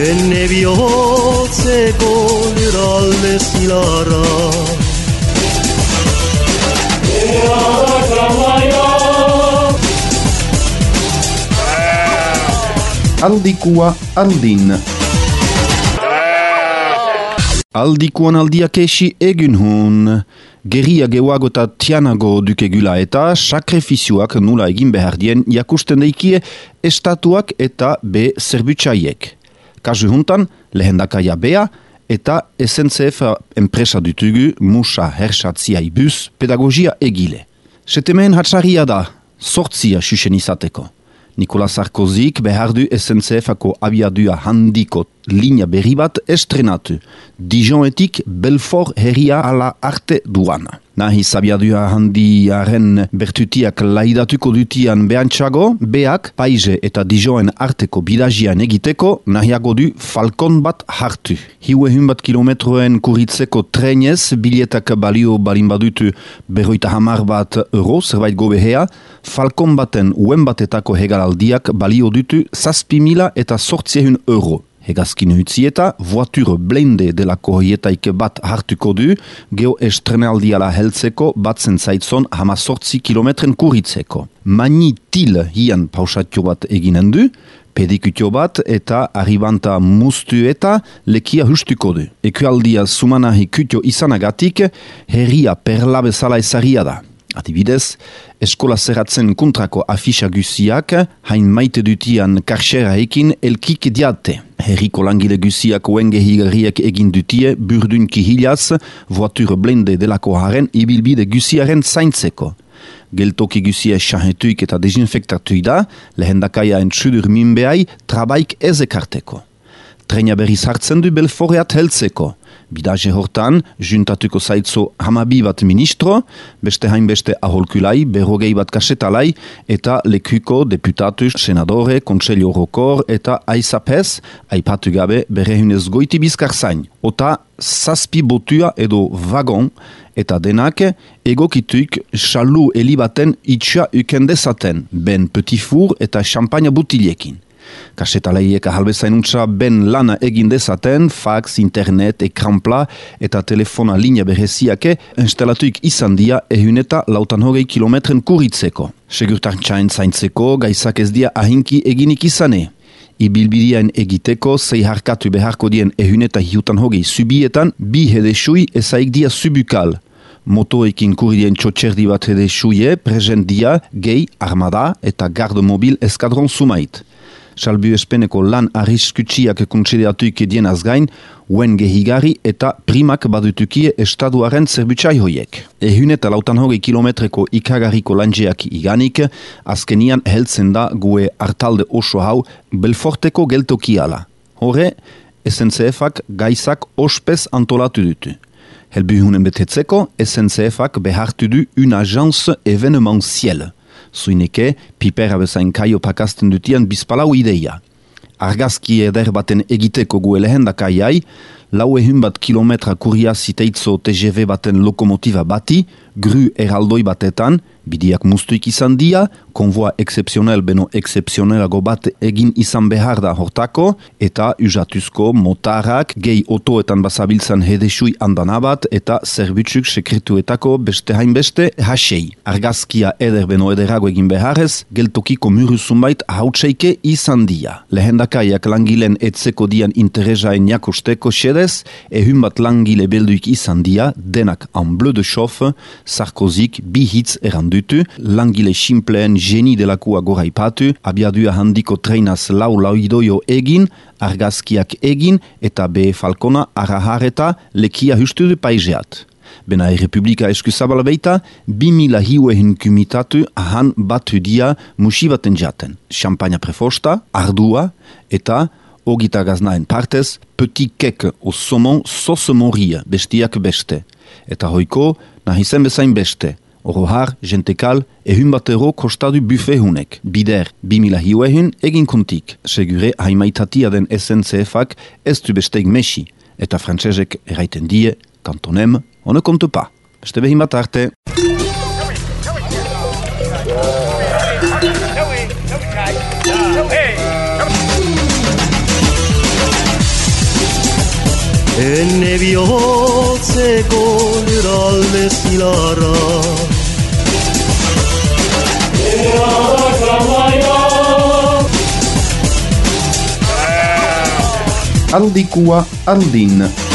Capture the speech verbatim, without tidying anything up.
ene bihotzeko lurralde zilarra. Ea da kramaia. Aldikua aldin. Aldikuan aldiak esi egun hun. Geria gehuago eta tianago dukegula eta sakrifizioak nula egin behar dien jakusten deikie estatuak eta be zerbutsaiek. Kasu juntan, lehendakaia bea eta S N C F enpresa dutugu musa herxatziai bus pedagogia egile. Setemeen hatsaria da, sortzia xuxen izateko. Nicolas Sarkozyk behar du S N C F-ako abiadua handiko linea berri bat estrenatu. Dijonetik Belfort herria ala arte duana. Nahiz abiadua handiaren bertutiak laidatuko dutian behantxago, beak Paize eta Dijoen arteko bidagian egiteko nahiago du Falcon bat hartu. Hiuehun bat kilometroen kuritzeko trenez, biletak balio balin badutu berroita hamar bat euro, zerbait gobehea, Falcon baten uen batetako hegalaldiak balio dutu zazpi mila eta sortziehun euro. Hegazkin hutzieta, voiture blende delako hoietaik bat hartuko du, geho estrenaldiala heltzeko batzen zaitzon hama sortzi kilometren kuritzeko. Mani til hian pausatio bat eginen du, pedikutio bat eta arribanta mustu eta lekia hustuko du. Ekualdia sumanahi kutio izanagatik, herria perla bezala ezaria da. Adibidez, eskola zerratzen kontrako afisa guziak, hain maite dutian karxeraekin elkik diate. Herriko langile guziak oengehigariak egin dutie burdun kihilaz, voiture blende delako haren ibilbide guziaren zaintzeko. Geltoki guzia sahetuik eta desinfektatuik da, lehendakaia entsudur minbeai trabaik ezekarteko. Trena berriz hartzen du Belforteat heltzeko. Bidaje hortan, juntatuko zaitzo hamabi bat ministro, beste hainbeste aholkulai, berrogei bat kasetalai, eta lekuko deputatu, senadore, kontselio horokor, eta aizapez, aipatu gabe berrehunez goiti bizkar zain. Ota zazpi botua edo vagon, eta denak egokituik xalu elibaten itxua ukendezaten, ben petit four eta champagne butiliekin. Kasetalaiek ahalbezain untsa ben lana egin dezaten, fax, internet, ekranpla eta telefona linea bereziake instalatuik izan dia ehun eta lautan hogei kilometren kuritzeko. Segurtantzain zaintzeko gaizak ez dia ahinki eginik izane. Ibilbidean egiteko zei harkatu beharko dien ehun eta hiutan hogei subietan bi hedesui ezaik dia subukal. Motoekin kuridien txotxerdi bat hedesuie present dia gehi, armada eta garde mobil eskadron sumait. Salbu espeneko lan arriskutsiak kontsideratuik dienaz gain, uen gehigari eta primak badutukie estaduaren zerbutsai hoiek. Ehun eta lautan hogei kilometreko ikagarriko lanjeak iganik, azkenian heltzen da gue artalde oso hau Belforteko geltokiala. Hore, S N C F-ak gaizak ospez antolatu dutu. Helbuhunen betetzeko, S N C F-ak behartu du un agence événementielle. Zuineke, pipera bezain kaio pakasten dutian bizpalau ideia. Argazki eder baten egiteko gue lehendakaiai, lau ehun bat kilometra kuria ziteitzo T G V baten lokomotiva bati, gru eraldoi batetan, bidiak mustuik izan dia, konvoa excepzionel beno excepzionelago bat egin izan behar da hortako, eta usatuzko motarrak, gehi otoetan basabiltzan hedesui andanabat, eta zerbitzuk sekretuetako beste hainbeste hasei. Argazkia eder beno ederago egin beharrez, geltokiko muru zunbait hautseike izan dia. Lehendakaiak langilen etzeko dian interesaen jakosteko xedez, ehun bat langile belduik izan dia, denak en bleu de chauffe, Sarkozyk bi hitz erandutu, langile simpleen geni delakua goraipatu, abiadua handiko treinaz lau lauidoio egin, argazkiak egin, eta be Falcona arahareta lekia hustu du paizeat. Bena Errepublika eskuzabala beita, bi mila hiuehun kumitatu ahan batu dia musibaten jaten. Champagne prefosta, ardua, eta ogita gaznaen partez, petit kek o somon sos moria, bestiak beste. Eta hoiko, nahizen bezain beste. Orohar, jentekal, ehun bat euro kostadu buffet hunek. Bider, bi mila hiuehun egin kontik. Segure haimaitatia den S N C F-ak ez du besteik mesi. Eta frantsesek eraiten die, kantonem, on ne compte pas. Beste behin bat arte. enne bihotzeko lurralde zilarra. Ea dakamaia Aldikua aldin.